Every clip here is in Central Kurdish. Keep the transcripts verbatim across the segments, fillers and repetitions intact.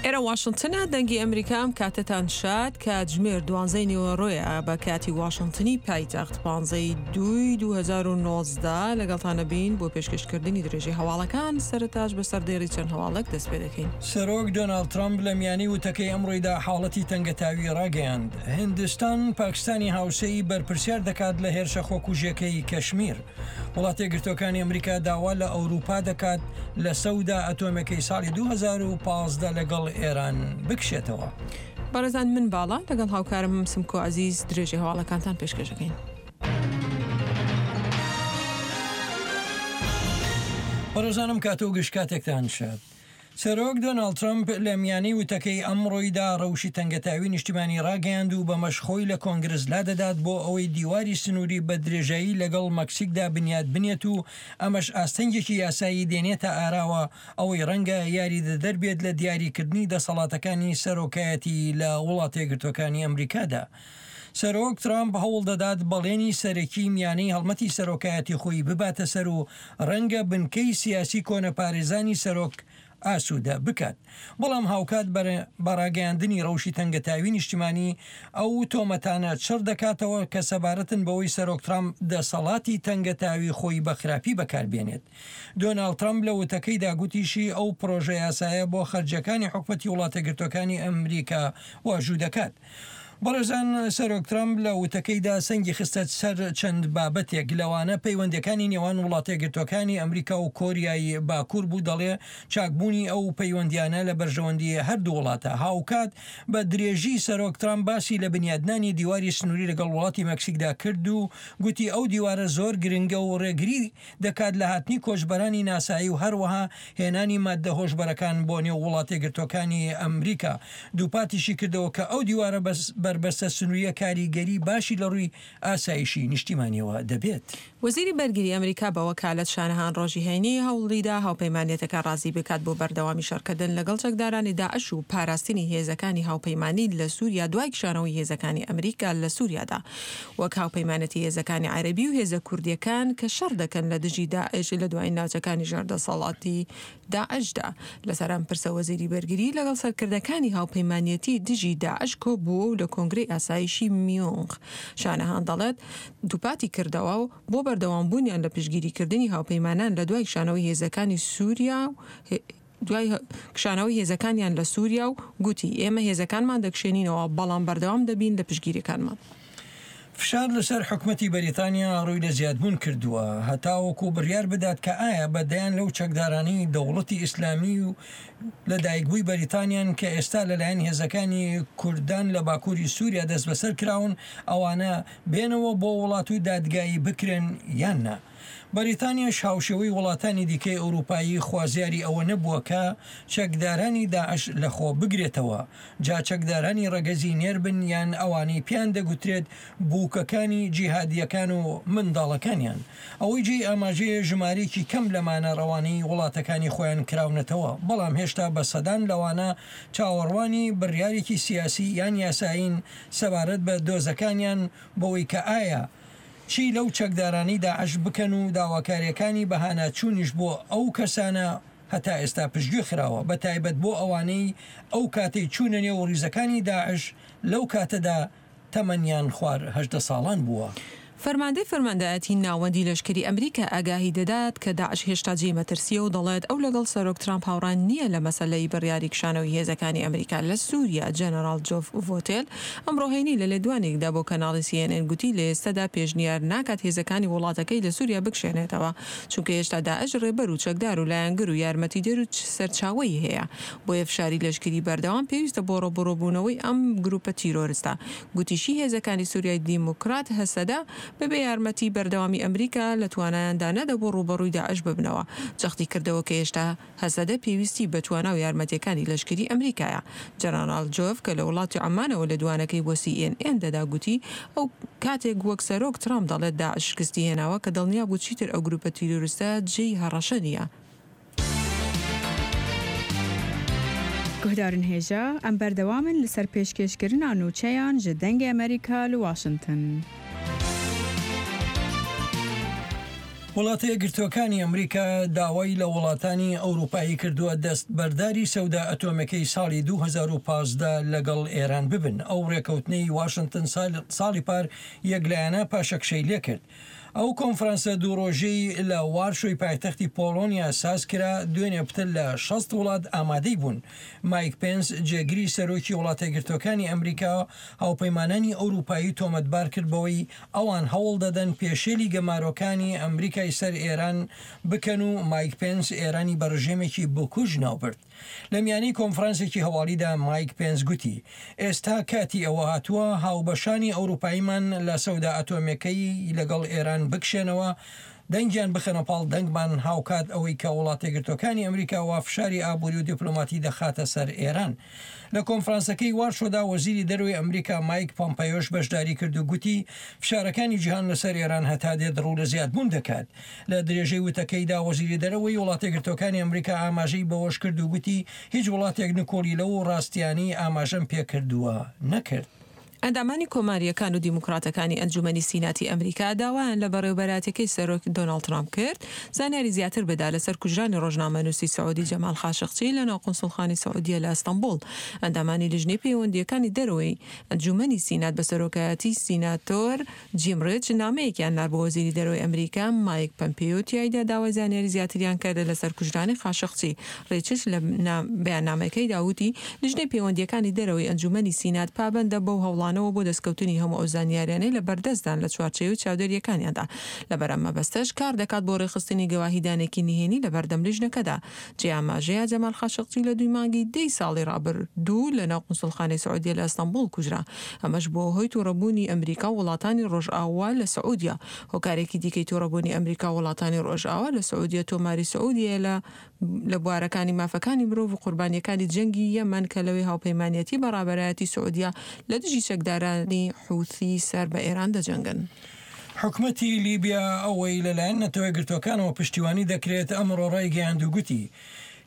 ئێرە واشنتنە، دەنگی ئەمریکا. ئەم کاتەتان شاد. کاتژمێر دوانزەی نیوەڕۆیە بە کاتی واشنتنی پایتەخت، پانزەی دووی دوو هەزار و نۆزدە. لەگەڵتانە بین بۆ پێشکەشکردنی درێژەی هەواڵەکان. سەرەتاش بە سەردێڕی چەند هەواڵێک دەست پێ دەکەین. سەرۆک دۆناڵد ترەمپ لە میانی وتەکەی ئەمڕۆیدا حاڵەتی تەنگەتاوی ڕاگەیاند. هیندستان پاکستانی هاوسێی بەرپرسیار دەکات لە هێرشە خۆکوژیەکەی کەشمیر. وڵاتە یەکگرتووەکانی ئەمریکا داوا لە ئەوروپا دەکات لە سەودا ئەتۆمەکەی ساڵی دوو هەزار و پازدە لەگەڵ ئێران بکشێتەوە. بەڕێزان، من باڵا لەگەڵ هاوکارم سمکۆ عەزیز درێژەی هەواڵەکانتان پێشکەش دەکەین. بەڕێزانم کات و گشت کاتێکتان شاد. سەرۆک دۆناڵد ترەمپ لە میانەی وتەکەی ئەمڕۆیدا ڕەوشی تەنگەتاوی نیشتیمانی ڕاگەیاند و بەمەش خۆی لە کۆنگرس لادەدات بۆ ئەوەی دیواری سنووری بە درێژایی لەگەڵ مەکسیکدا بنیات بنێت و ئەمەش ئاستەنگێکی یاسایی دێنێتە ئاراوە، ئەوەی ڕەنگە یاریدەدەر بێت لە دیاریکردنی دەسەڵاتەکانی سەرۆکایەتی لە وڵاتە یەکگرتووەکانی ئەمریکادا. سەرۆک ترامپ هەوڵ دەدات بەڵێنی سەرەکی میانەی هەڵمەتی سەرۆکایەتی خۆی بباتە سەر و ڕەنگە بنکەی سیاسی کۆنەپارێزانی سەرۆک ئاسوودە بکات، بەڵام هاوکات بە ڕاگەیاندنی ڕەوشی تەنگەتاوی نیشتیمانی ئەو تۆمەتانە چڕ دەکاتەوە کە سەبارەتن بەوەی سەرۆک ترامپ دەسەڵاتی تەنگەتاوی خۆی بە خراپی بەکاربێنێت. دۆناڵد ترامپ لە وتەکەیدا گوتیشی ئەو پرۆژە یاسایە بۆ خەرجیەکانی حکومەتی وڵاتەگرتوەکانی ئەمریکا واژوو دەکات. بەڕێزان، سەرۆک ترامپ لە وتەکەیدا سەنگی خستە سەر چەند بابەتێک، لەوانە پەیوەندیەکانی نێوان وڵاتەیەکگرتووەکانی ئەمریکا و کۆریای باکوور بوو، دەڵێ چاکبوونی ئەو پەیوەندیانە لە بەرژەوەندی هەردوو وڵاتە. هاوکات بە درێژی سەرۆک ترامپ باسی لە بنیادنانی دیواری سنووری لەگەڵ وڵاتی مەکسیکدا کرد و گوتی ئەو دیوارە زۆر گرنگە و ڕێگری دەکات لە هاتنی کۆچبەرانی ناسایی و هەروەها هێنانی ماددە هۆشبەرەکان بۆ نێو وڵاتەیەکگرتووەکانی ئەمریکا. دووپاتیشی کردەوە کە ئەو دیوارە بەربەستە سنووریە کاریگەری باشی لە ڕووی ئاسایشی نیشتیمانیەوە دەبێت. وەزیری بەرگری ئەمریکا بە وەکالەت شانەهان ڕۆژی هەینی هەوڵیدا هاوپەیمانێتەکە ڕازی بکات بۆ بەردەوامی شەڕکردن لەگەڵ چەکدارانی داعش و پاراستنی هێزەکانی هاوپەیمانی لە سووریا دوای کشانەوەی هێزەکانی ئەمریکا لە سووریادا، وەک هاوپەیمانەتی هێزەکانی عەرەبی و هێزە کوردیەکان کە شەڕ دەکەن لە دژی داعش لە دوایین ناوچەکانی ژێر دەسەڵاتی داعشدا. لەسەر ئەم پرسە وەزیری بەرگری لەگەڵ سەرکردەکانی هاوپەیمانیەتی دژی داعش کۆبووە و لە کۆنگرەی ئاسایشی میونخ شانەهان دەڵێت دووپاتی کردەوە و بۆ بەردەوامبوونیان لە پشتگیریکردنی هاوپەیمانان لە دوای کشانەوەی هێزەکانی سووریا و دوای کشانەوەی هێزەکانیان لە سووریا و گوتی ئێمە هێزەکانمان دەکشێنینەوە بەڵام بەردەوام دەبین لە پشتگیریەکانمان. فشار لەسەر حکومەتی بەریتانیا ڕووی لە زیادبوون کردووە هەتاوەکو بڕیار بدات کە ئایا بە دەیان لەو چەکدارانەی دەوڵەتی ئیسلامی و لە دایکبووی بەریتانیان کە ئێستا لەلایەن هێزەکانی کوردان لە باکووری سووریا دەستبەسەر کراون ئەوانە بێنەوە بۆ وڵات و دادگایی بکرێن یان نا. بەریتانیاش هاوشێوەی وڵاتانی دیکەی ئەوروپایی خوازیاری ئەوە نەبووە کە چەکدارانی داعش لەخۆ بگرێتەوە، جا چەکدارانی ڕەگەزی نێر بن یان ئەوانەی پێیان دەگوترێت بووکەکانی جیهادییەکان و منداڵەکانیان. ئەوەی جێی ئاماژەیە ژمارەیەکی کەم لەمانە ڕەوانەی وڵاتەکانی خۆیان کراونەتەوە، بەڵام هێشتا بە سەدان لەوانە چاوەڕوانی بڕیارێکی سیاسی یان یاسایین سەبارەت بە دۆزەکانیان بەوەی کە ئایا چی لەو چەکدارانەی داعش بکەن و داواکارییەکانی بەهاناچوونیش بۆ ئەو کەسانە هەتا ئێستا پشتگوێ خراوە، بە تایبەت بۆ ئەوانەی ئەو کاتەی چوونە نێو ڕیزەکانی داعش لەو کاتەدا تەمەنیان خوار هەژدە ساڵان بووە. فەرماندەی فەرماندایەتی ناوەندی لەشکری ئەمریکا ئاگاهی دەدات کە داعش هێشتا جێی مەترسییە و دەڵێت ئەو لەگەڵ سەرۆک ترامپ هاوڕا نییە لە مەسەلەی بڕیاری کشانەوەی هێزەکانی ئەمریکا لە سووریا. جەنەراڵ جۆف ڤۆتێل ئەمڕۆ هەینی لە لێدوانێکدا بۆ کەناڵی سی ئێن ئێن گوتی لە ئێستادا پێشنیار ناکات هێزەکانی وڵاتەکەی لە سووریا بکشێنێتەوە چونکە هێشتا داعش ڕێبەر و چەکدار و لایەنگر و یارمەتیدەر و سەرچاوەی هەیە، بۆیە فشاری لەشکری بەردەوام پێویستە بۆ ڕووبەڕووبوونەوەی ئەم گروپە تیرۆرستە. گوتیشی هێزەکانی سووریای دیموکرات هەسەدە بەبێ یارمەتی بەردەوامی ئەمریکا لە توانایاندا نەدەبوو ڕووبەڕووی داعش ببنەوە. جەختی کردەوە کە هێشتا هەسەدە پێویستی بە توانا و یارمەتیەکانی لەشکری ئەمریکایە. جەنەراڵ جۆف کە لە وڵاتی عومانەوە لێدوانەکەی بۆ سی ئێن ئێن دەدا گوتی ئەو کاتێک وەک سەرۆک ترامپ دەڵێت داعش شکستی هێناوە کە دڵنیا بوو چیتر ئەو گروپە تیرۆریستە جێی هەڕەشە نییە. گوهدارن هێژا، ئەم بەردەوامن لەسەر پێشکێشکردنا نوچەیان ji دەنگê Amerîka li Washington. وڵاتە یەکگرتووەکانی ئەمریکا داوای لە وڵاتانی ئەوروپایی کردووە دەست بەرداری سەودا ئەتۆمەکەی ساڵی دوو هەزار و پازدە لەگەڵ ئێران ببن. ئەو ڕێکەوتنەی واشنتن ساڵی پار یەکلایەنە پاشەکشەی لێکرد. ئەو کۆنفرانسە دوو ڕۆژەی لە وارشۆی پایتەختی پۆڵۆنیا ساز کرا، دوێنێ پتر لە شەست وڵات ئامادەی بوون. مایک پێنس، جێگری سەرۆکی وڵاتە یەکگرتووەکانی ئەمریکا، هاوپەیمانانی ئەوروپایی تۆمەتبار کرد بەوەی ئەوان هەوڵ دەدەن پێشێلی گەمارۆکانی ئەمریکای سەر ئێران بکەن و مایک پێنس ئێرانی بە ڕژێمێکی بکوژ ناوبرد. لە میانەی کۆنفرانسێکی هەواڵیدا مایک پێنس گوتی، ئێستا کاتی ئەوە هاتووە هاوبەشانی ئەوروپاییمان لە سەودا ئەتۆمیەکەی لەگەڵ ئێران بکشێنەوە، دەنگیان بخەنە پاڵ دەنگمان، هاوکات ئەوەی کە وڵاتە یەکگرتووەکانی ئەمریکا وا فشاری ئابووری و دیپلۆماتی دەخاتە سەر ئێران. لە کۆنفرانسەکەی وارشۆدا وەزیری دەرەوەی ئەمریکا مایک پۆمپەیۆش بەشداری کرد و گوتی فشارەکانی جیهان لەسەر ئێران هەتا دێت ڕوو لە زیادبوون دەکات. لە درێژەی وتەکەیدا وەزیری دەرەوەی وڵاتە یەکگرتووەکانی ئەمریکا ئاماژەی بەوەش کرد و گوتی هیچ وڵاتێک نکۆڵی لەو ڕاستیانەی ئاماژەم پێکردووە نەکرد. ئەندامانی کۆمارییەکان و دیموکراتەکانی ئەنجومەنی سیناتی ئەمریکا داوایان لە بەڕێوەبەرایەتیەکەی سەرۆک دۆناڵد ترامپ کرد زانیاری زیاتر بدا لەسەر کوژرانی ڕۆژنامەنووسی سعودی جەمال خاشقچی لەناو قونسوڵخانەی سعودیە لە ئەستەنبوڵ. ئەندامانی لیژنەی پەیوەندییەکانی دەرەوەی ئەنجومەنی سینات بە سەرۆکایەتی سیناتۆر جیم ڕیچ نامەیەکیان نارد بۆ وەزیری دەرەوەی ئەمریکا مایک پەمپیۆ، تیایدا داوای زانیاری زیاتریان کرد لەسەر کوژرانی خاشقچی. ڕیچش لە بەیاننامەکەیدا وتی لیژنەی پەیوەندییەکانی دەرەوەی ئەنجومەنی سینات پابەندە بەو هەوڵانەوە بۆ دەستکەوتنی هەموو ئەو زانیاریانەی لە بەردەستدان لە چوارچێوەی چاودێرییەکانیاندا. لەبەر ئەم مەبەستەش کار دەکات بۆ ڕێکخستنی گەواهیدانێکی نهێنی لە بەردەم لیژنەکەدا. جێ ئاماژەیە جەمال خاشقچی لە دووی مانگی دەی ساڵی ڕابردوو لەناو قونسوڵخانەی سعودیە لە ئەستەنبوڵ کوژرا. ئەمەش بووە هۆی تووڕەبوونی ئەمریکا و وڵاتانی ڕۆژئاوا لە سعودیە. هۆکارێکی دیکەی تووڕەبوونی ئەمریکا و وڵاتانی ڕۆژئاوا لە سعودیە تۆماری سعودیەیە لە لە بوارەکانی مافەکانی مرۆڤ و قوربانیەکانی جەنگی یەمەن کە لەوێ هاوپەیمانیەتی بە ڕابەرایەتی سعودیە لە دژی چەکدارانی حوثی سەر بە ئێران دەجەنگن. حکومەتی لیبیا ئەوەی لەلایەن نەتەوە یەکگرتووەکانەوە پشتیوانی دەکرێت ئەمڕۆ ڕایگەیاند و گوتی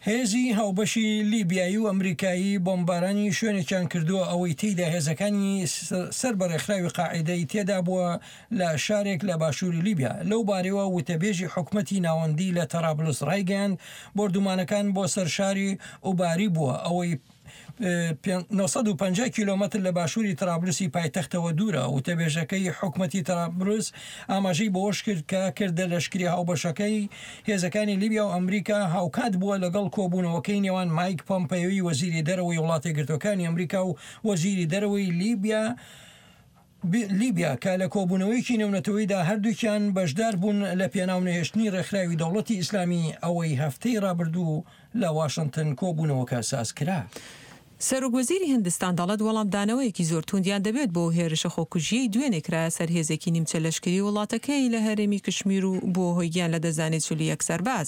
هێزی هاوبەشی لیبیایی و ئەمریکایی بۆمبارانی شوێنێکیان کردووە ئەوەی تێیدا هێزەکانی سەر بە ڕێکخراوی قاعیدەی تێدا بووە لە شارێک لە باشووری لیبیا. لەو بارەوە وتەبێژی حکومەتی ناوەندی لە تەرابلس ڕایگەیاند بۆردومانەکان بۆ سەر شاری ئوباری بووە ئەوەی نۆ سەد و پەنجا کیلۆمەتر لە باشووری ترابلسی پایتەختەوە دوورە. وتەبێژەکەی حکومەتی ترابلس ئاماژەی بەوەش کرد کە کردە لەشکری هاوبەشەکەی هێزەکانی لیبیا و ئەمریکا هاوکات بووە لەگەڵ کۆبوونەوەکەی نێوان مایک پۆمپەیۆی وەزیری دەرەوەی وڵاتە یەکگرتووەکانی ئەمریکا و وەزیری دەرەوەی لیبیا لیبیا کە لە کۆبوونەوەیەکی نێونەتەوەیدا هەردووکیان بەشدار بوون لە پێناو نەهێشتنی ڕێکخراوی دەوڵەتی ئیسلامی ئەوەی هەفتەی ڕابردوو لە واشنتن کۆبوونەوەکە ساز کرا. سەرۆک وەزیری هندستان دەڵێت وەڵامدانەوەیەکی زۆر توندیان دەبێت بۆ هێرشە خۆکوژیەی دوێنێ کرایە سەر هێزێکی نیمچە لەشکری وڵاتەکەی لە هەرێمی کشمیر و بۆ هۆی گیان لەدەستدانی چل و یەک سەرباز.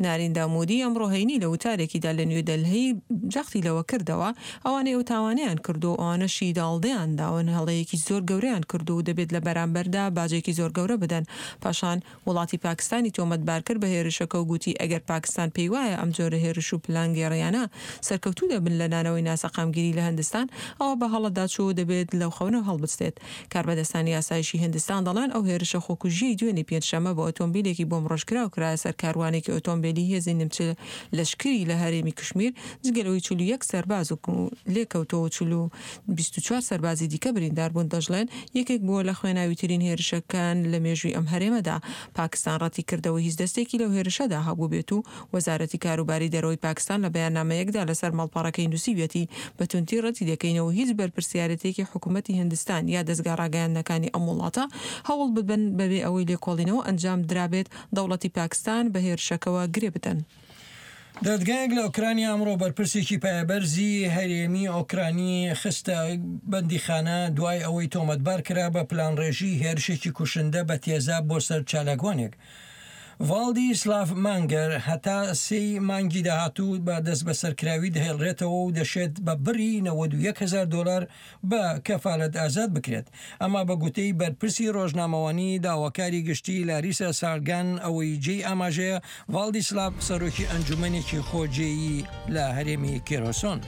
ناریندا مودی ئەمڕۆ هەینی لە وتارێکیدا لە نیودەلهی جەختی لەوە کردەوە ئەوانەی ئەو تاوانەیان کردو ئەوانەشی داڵدەیان داون هەڵەیەکی زۆر گەورەیان کردو و دەبێت لە بەرامبەردا باجێکی زۆر گەورە بدەن. پاشان وڵاتی پاکستانی تۆمەتبار کرد بە هێرشەکە و گوتی ئەگەر پاکستان پێی وایە ئەم جۆرە هێرش و پلانگێڕیانە سەرکەوتوو دەبن لە نانەوەی ناسەقامگیری لە هندستان ئەوە بە هەڵەدا چوو دەبێت لەو خەونە هەڵبستێت. کاربەدەستانی ئاسایشی هندستان دەڵێن ئەو هێرشە خۆکوژیەی دوێنێ پێنجشەممە بە ئۆتۆمبیلێکی بۆمڕۆژکراو کرایە سەر کاروانێکی ئۆتۆمبیلی هێزی نیمچە لەشکری لە هەرێمی کشمیر، جگە لەوەی چل و یەک سەرباز و لێکەوتەوە چل و بیست و چوار سەربازی دیکە بریندار بوون. دەشڵێن یەکێک بووە لە خوێناویترین هێرشەکان لە مێژووی ئەم هەرێمەدا. پاکستان ڕەتی کردەوە هیچ دەستێکی لەو هێرشەدا هەبوو بێت و وەزارەتی کاروباری دەرەوەی پاکستان لە بەیاننامەیەکدا لەسەر ماڵپەڕەکەی نووسیویەتی بە توندی ڕەتی دەکەینەوە هیچ بەرپرسیارەتێکی حکوومەتی هندستان یا دەزگا ڕاگەیاندنەکانی ئەم وڵاتە هەوڵ ببن بەبێ ئەوەی لێکۆڵینەوە ئەنجام درابێت دەوڵەتی پاکستان بە هێرشەکەوە گرێ بدەن. دادگایەک لە ئۆکرانیا ئەمڕۆ بەرپرسێکی پایەبەرزی هەرێمی ئۆکرانی خستە بەندیخانە دوای ئەوەی تۆمەتبار کرا بە پلانڕێژی هێرشێکی کوشندە بە تێزاب بۆ سەر چالاکوانێک. ڤالدیسلاڤ مانگەر هەتا سێی مانگی داهاتوو بە دەست بەسەرکراوی دەهێڵرێتەوە و دەشێت بە بڕی نەوەد و یەک هەزار دۆلار بە کەفالەت ئازاد بکرێت. ئەما بە گوتەی بەرپرسی ڕۆژنامەوانی داواکاری گشتی لاریسا سارگان ئەوەی جێی ئاماژەیە ڤالدیسلاڤ سەرۆکی ئەنجومەنێکی خۆجێیی لە هەرێمی کێرۆسۆن.